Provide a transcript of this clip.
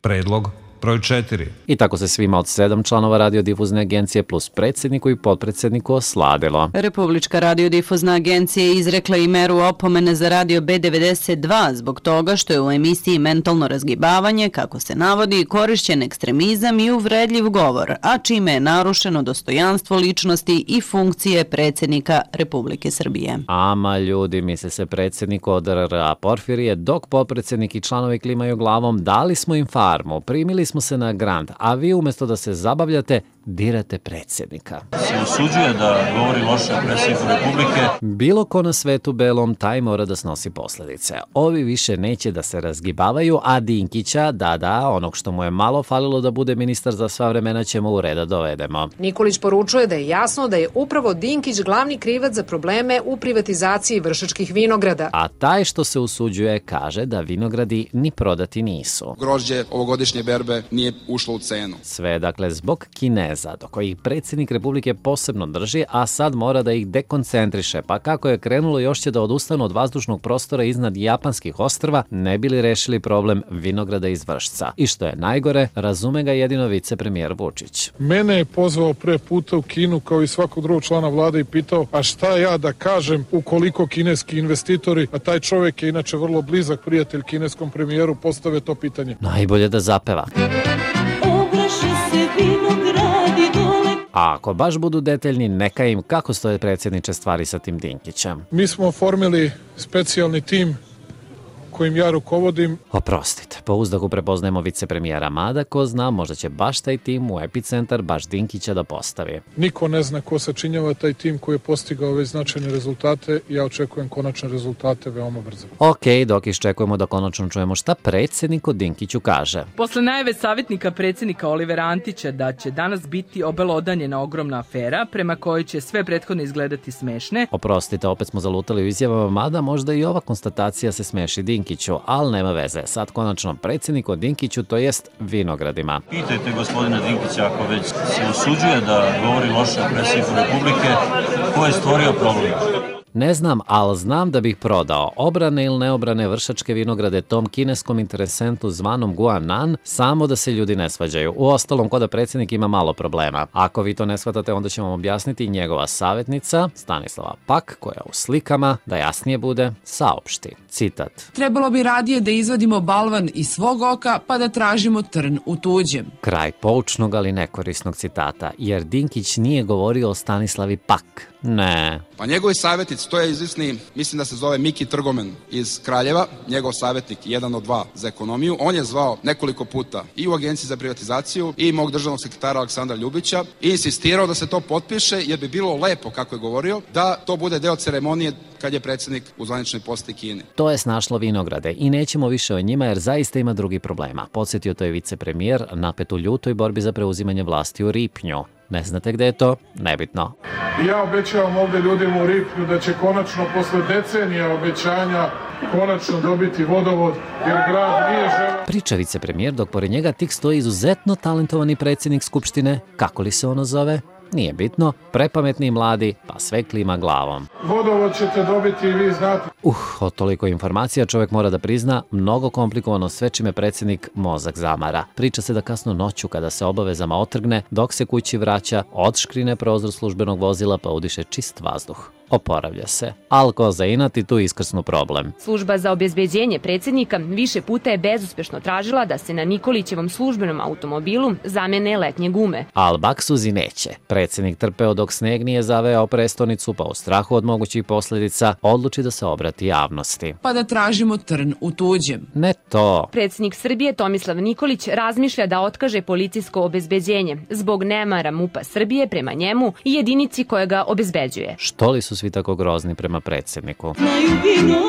Predlog broj 4. I tako se svima od 7 članova radiodifuzne agencije plus predsjedniku i potpredsjedniku osladilo. Republička radiodifuzna agencija je izrekla i meru opomene za radio B92 zbog toga što je u emisiji mentalno razgibavanje, kako se navodi, korišćen ekstremizam i uvredljiv govor, a čime je narušeno dostojanstvo ličnosti i funkcije predsjednika Republike Srbije. Ama ljudi, misle se predsjednik ODR-a Porfirije, dok potpredsjednik i članovi klimaju glavom, dali smo im farmu, primili smo se na grant, a vi umjesto da se zabavljate, dirate predsjednika. Se usuđuje da govori loše o predsjedniku Republike. Bilo ko na svetu belom, taj mora da snosi posljedice. Ovi više neće da se razgibavaju, a Dinkića, onog što mu je malo falilo da bude ministar za sva vremena, ćemo u reda dovedemo. Nikolić poručuje da je jasno da je upravo Dinkić glavni krivac za probleme u privatizaciji Vršačkih vinograda. A taj što se usuđuje kaže da vinogradi ni prodati nisu. Grožđe ovogodišnje berbe nije ušlo u cenu. Sve dakle zbog Kineza, do kojih predsjednik Republike posebno drži, a sad mora da ih dekoncentriše, pa kako je krenulo još će da odustanu od vazdušnog prostora iznad japanskih ostrva, ne bi li rešili problem vinograda iz Vršca. I što je najgore, razume ga jedino vicepremijer Vučić. Mene je pozvao pre puta u Kinu kao i svakog drugog člana vlade i pitao, a šta ja da kažem ukoliko kineski investitori, a taj čovjek je inače vrlo blizak prijatelj kineskom premijeru, postave to pitanje. Najbolje da zapeva. A ako baš budu detaljni, neka im kako stoje predsjedniče stvari sa tim Dinkićem. Mi smo oformili specijalni tim kojim ja rukovodim. Oprostite, po uzdahu prepoznajemo vicepremijera, mada ko zna, možda će baš taj tim u epicentar baš Dinkića da postavi. Niko ne zna ko sačinjava taj tim koji je postigao ove značajne rezultate i ja očekujem konačne rezultate veoma brzo. Ok, dok iščekujemo da konačno čujemo šta predsjednik o Dinkiću kaže. Posle najave savjetnika predsjednika Olivera Antića da će danas biti obelodanjena ogromna afera prema kojoj će sve prethodno izgledati smešne. Oprostite, opet smo zalutali u izjavama, mada možda i ova konstatacija se smeši Dinkiću, ali nema veze. Sad konačno predsjednik o Dinkiću, to jest vinogradima. Pitajte gospodina Dinkića ako već se usuđuje da govori loše o predsjedniku Republike, ko je stvorio problem? Ne znam, ali znam da bih prodao obrane ili neobrane Vršačke vinograde tom kineskom interesentu zvanom Guanan, samo da se ljudi ne svađaju. Uostalom, ko da predsjednik ima malo problema. Ako vi to ne shvatate, onda ćemo vam objasniti njegova savjetnica, Stanislava Pak, koja u slikama, da jasnije bude, saopšti. Citat. Trebalo bi radije da izvadimo balvan iz svog oka, pa da tražimo trn u tuđem. Kraj poučnog, ali nekorisnog citata, jer Dinkić nije govorio o Stanislavi Pak. Ne. Pa njegovi savjetnici, to je izvisni, mislim da se zove Miki Trgomen iz Kraljeva, njegov savjetnik, jedan od dva za ekonomiju. On je zvao nekoliko puta i u Agenciji za privatizaciju i mog državnog sekretara Aleksandra Ljubića i insistirao da se to potpiše jer bi bilo lepo, kako je govorio, da to bude deo ceremonije kad je predsjednik u zvaničnoj poseti Kine. To je snašlo vinograde i nećemo više o njima jer zaista ima drugi problema. Podsjetio to je vicepremijer napet u ljutoj borbi za preuzimanje vlasti u Ripnju. Ne znate gde je to? Nebitno. Ja obećavam ovdje ljudima u Ripnju da će konačno posle decenija obećanja konačno dobiti vodovod jer grad nije želeo. Priča vicepremijer dok pored njega tik stoji izuzetno talentovani predsjednik Skupštine. Kako li se ono zove? Nije bitno, prepametni i mladi, pa sve klima glavom. Vodovod ćete dobiti i vi znate. Od toliko informacija čovjek mora da prizna, mnogo komplikovano sve čime predsjednik mozak zamara. Priča se da kasno noću kada se obavezama otrgne, dok se kući vraća, odškrine prozor službenog vozila pa udiše čist vazduh. Oporavlja se. Al ko za inat i tu iskrsnu problem. Služba za obezbeđenje predsjednika više puta je bezuspešno tražila da se na Nikolićevom službenom automobilu zamene letnje gume. Al baksuzi neće. Predsjednik trpeo dok sneg nije zaveo prestonicu, pa u strahu od mogućih posljedica odluči da se obrati javnosti. Pa da tražimo trn u tuđem. Ne to. Predsjednik Srbije Tomislav Nikolić razmišlja da otkaže policijsko obezbeđenje zbog nemara MUP-a Srbije prema njemu i jedinici koja ga obezbeđuje. Što li su svi tako grozni prema predsjedniku? Znaju vinogradi